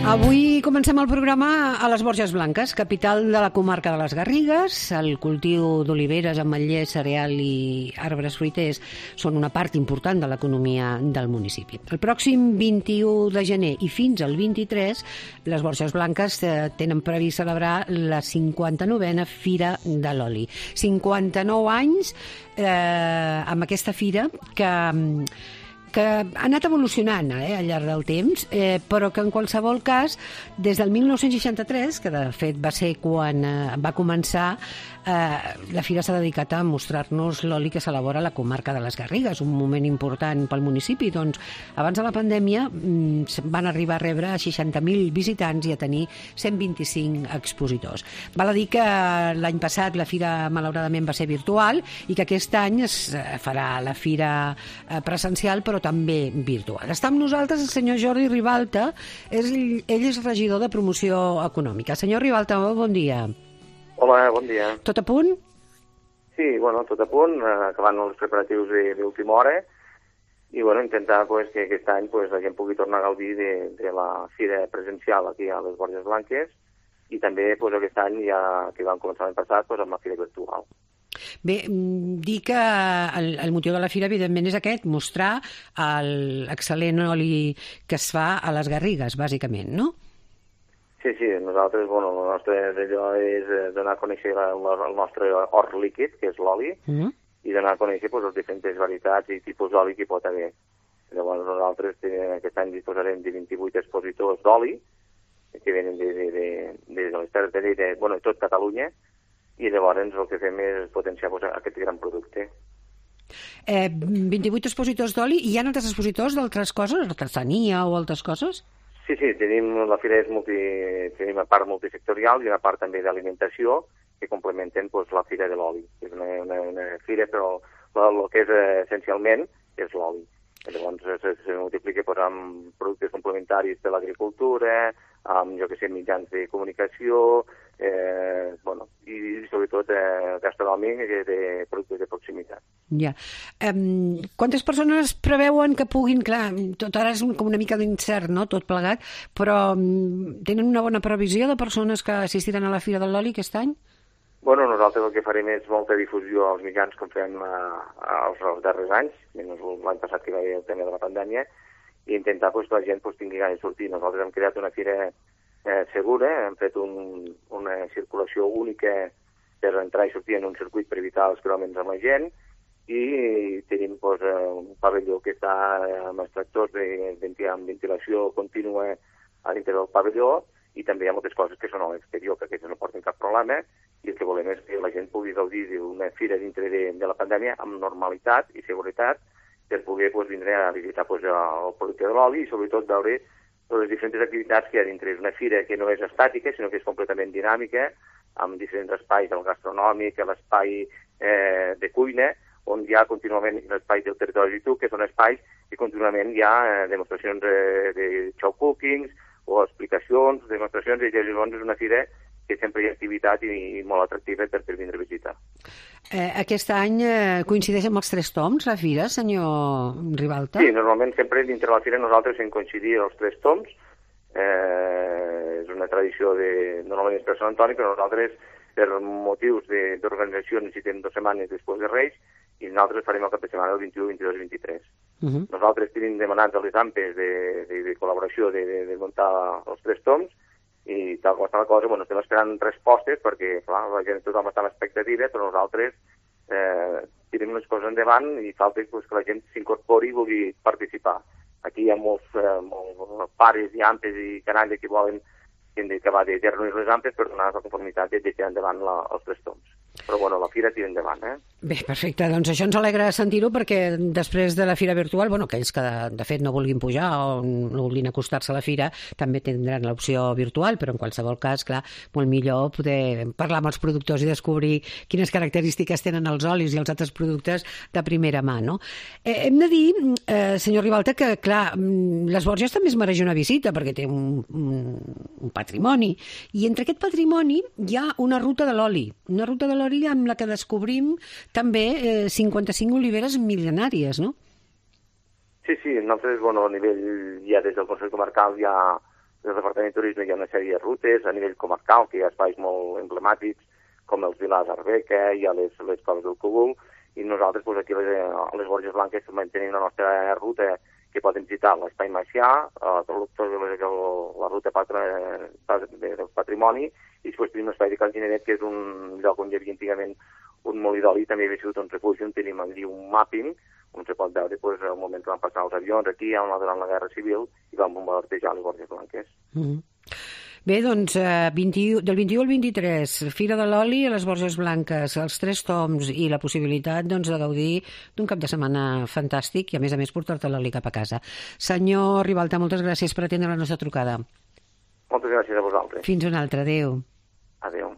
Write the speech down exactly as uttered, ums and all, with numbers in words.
Avui comencem el programa a les Borges Blanques, capital de la comarca de les Garrigues. El cultiu d'oliveres, ametllers, cereal i arbres fruiters són una part important de l'economia del municipi. El pròxim vint-i-u de gener i fins al vint-i-tres, les Borges Blanques tenen previst celebrar la cinquanta-novena Fira de l'Oli. cinquanta-nou anys eh, amb aquesta fira que... que ha anat evolucionant eh, al llarg del temps, eh, però que en qualsevol cas, des del mil nou-cents seixanta-tres, que de fet va ser quan eh, va començar, eh, la fira s'ha dedicat a mostrar-nos l'oli que s'elabora a la comarca de les Garrigues, un moment important pel municipi. Doncs, abans de la pandèmia mm, van arribar a rebre seixanta mil visitants i a tenir cent vint-i-cinc expositors. Val a dir que l'any passat la fira malauradament va ser virtual i que aquest any es farà la fira eh, presencial, però també virtual. Està amb nosaltres el senyor Jordi Ribalta, és, ell és regidor de promoció econòmica. Senyor Ribalta, bon dia. Hola, bon dia. Tot a punt? Sí, bueno, tot a punt, acabant els preparatius d'última hora i bueno, intentar pues, que aquest any pues, la gent pugui tornar a gaudir de, de la fira presencial aquí a les Borges Blanques i també pues, aquest any, ja que vam començar l'any passat, pues, amb la fira virtual. Bé, dir que el, el motiu de la fira, evidentment, és aquest, mostrar l'excel·lent oli que es fa a les Garrigues, bàsicament, no? Sí, sí, nosaltres, bueno, el nostre allò és donar a conèixer la, la, el nostre or líquid, que és l'oli, mm. i donar a conèixer pues, les diferents varietats i tipus d'oli que hi pot haver. Llavors nosaltres tenim, aquest any disposarem de vint-i-vuit expositors d'oli, que venen de, de, de, de les terres de Lleida, bueno, tot Catalunya, i llavors el que fem és potenciar pues, aquest gran producte. Eh, vint-i-vuit expositors d'oli, i hi ha altres expositors d'altres coses, artesania o altres coses? Sí, sí, tenim, la fira és multi, tenim una part multisectorial i una part també d'alimentació que complementen pues, la fira de l'oli. És una, una, una fira, però el que és essencialment és l'oli. Llavors se, se multiplica pues, amb productes complementaris de l'agricultura, amb, jo que sé, mitjans de comunicació, eh, bueno, i sobretot eh, gastronòmic de, de productes de proximitat. Ja. Um, quantes persones preveuen que puguin, clar, tot ara és com una mica d'incert, no?, tot plegat, però um, tenen una bona previsió de persones que assistiran a la Fira de l'Oli aquest any? Bueno, nosaltres el que farem és molta difusió als mitjans com fem eh, els, els darrers anys, menys l'any passat que hi va haver el tema de la pandèmia, i intentar pues, que la gent pues, tingui ganes de sortir. Nosaltres hem creat una fira eh, segura, hem fet un, una circulació única per entrar i sortir en un circuit per evitar els creuaments amb la gent, i tenim pues, un pavelló que està amb extractors de, de, amb ventilació contínua a dintre del pavelló, i també hi ha moltes coses que són a l'exterior, que aquestes no porten cap problema, i el que volem és que la gent pugui gaudir d'una fira dintre de, de la pandèmia amb normalitat i seguretat per poder pues, vindre a visitar pues, el producte de l'oli i sobretot veure les diferents activitats que hi ha dintre. És una fira que no és estàtica, sinó que és completament dinàmica, amb diferents espais, el gastronòmic, l'espai eh, de cuina, on hi ha contínuament l'espai del territori tu, que són espais que contínuament hi ha eh, demostracions eh, de show cookings o explicacions, demostracions, i llavors és una fira que sempre hi ha activitat i, i molt atractiva per, per vindre a visitar. Eh, aquest any eh, coincideix amb els tres toms, la fira, senyor Ribalta? Sí, normalment sempre dintre la fira nosaltres hem coincidit els tres toms. Eh, és una tradició de, normalment és per Sant Antoni, però nosaltres, per motius d'organització, necessitem dues setmanes després de Reis, i nosaltres farem el cap de setmana el vint-i-u, vint-i-dos i vint-i-tres. Uh -huh. Nosaltres tenim demanats a les A M P E S de, de, de col·laboració de, de, de muntar els tres toms, i tal com està la cosa, bueno, estem esperant respostes perquè, clar, la gent tothom està amb expectativa, però nosaltres eh, tirem les coses endavant i falta pues, que la gent s'incorpori i vulgui participar. Aquí hi ha molts, eh, molts pares i ampes i canalla que volen que hem d'acabar de dir-nos les ampes per donar la conformitat de tirar endavant la, els tres toms. Però, bueno, la fira tira endavant, eh? Bé, perfecte. Doncs això ens alegra sentir-ho perquè després de la fira virtual, bueno, aquells que de, de fet no vulguin pujar o no vulguin acostar-se a la fira també tindran l'opció virtual, però en qualsevol cas, clar, molt millor poder parlar amb els productors i descobrir quines característiques tenen els olis i els altres productes de primera mà, no? Eh, hem de dir, eh, senyor Ribalta, que, clar, les Borges també es mereix una visita perquè té un, un, un patrimoni, i entre aquest patrimoni hi ha una ruta de l'oli, una ruta de l'oli amb la que descobrim també eh, cinquanta-cinc oliveres mil·lenàries, no? Sí, sí, nosaltres, bueno, a nivell, ja des del Consell Comarcal hi ha del Departament de Turisme hi ha una sèrie de rutes a nivell comarcal, que hi ha espais molt emblemàtics, com els Vilars d'Arbeca, hi ha les, les Coves del Cogul, i nosaltres pues, aquí a les, a les Borges Blanques també tenim la nostra ruta que poden visitar l'Espai Macià, eh, la ruta patra, del patrimoni, i després tenim l'espai de Cal Gineret, que és un lloc on hi havia antigament un molí d'oli, també havia sigut un refugi on tenim allí un mapping, on se pot veure pues, el moment que van passar els avions aquí, durant la Guerra Civil, i van bombardejar les Borges Blanques. Mm. Bé, doncs, eh, vint, del vint-i-u al vint-i-tres, Fira de l'Oli a les Borges Blanques, els tres toms i la possibilitat doncs, de gaudir d'un cap de setmana fantàstic i, a més a més, portar-te l'oli cap a casa. Senyor Ribalta, moltes gràcies per atendre la nostra trucada. Moltes gràcies a vosaltres. Fins una altra. Adéu. Adéu.